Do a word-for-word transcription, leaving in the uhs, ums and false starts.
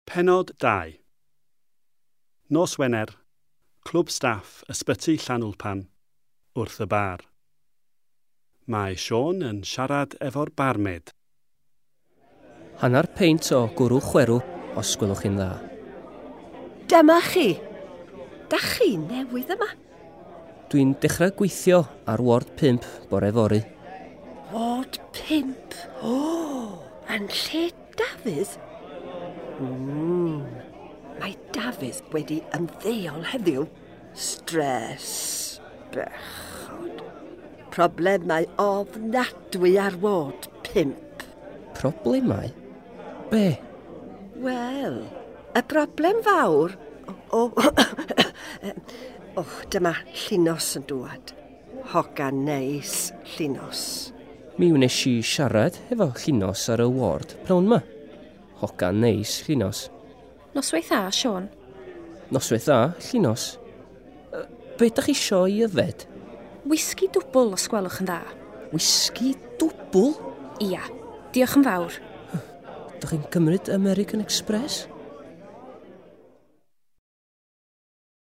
Pennod dau. Nos Wener, Clwb Staff Ysbyty Llanwlpan, wrth y bar. Mae Siôn yn siarad efo'r barmaid. Hannar peint o gwrw chwerw, os gwelwch chi'n dda. Dyma chi. Da chi newydd yma. Dwi'n dechrau gweithio ar ward pump bore fory. Ward pump? O, yn lle Dafydd? Mm. Mae Dafydd wedi ymddeol heddiw. Stres. Bechod. Problemau ofnadwy ar ward pump. Problemau? Be? Wel, y broblem fawr... O, o, o, dyma Llinos yn dŵad. Hogan neis, Llinos. Mi wnes i siarad efo Llinos ar y ward pnawn 'ma. Hogan neis, Llinos. Noswaith dda, Siôn. Noswaith dda, Llinos. Yy, Be dach chi isio i yfed? Wisgi dwbl, os gwelwch yn dda. Wisgi dwbl? Ia, diolch yn fawr. Dach chi'n cymryd American Express?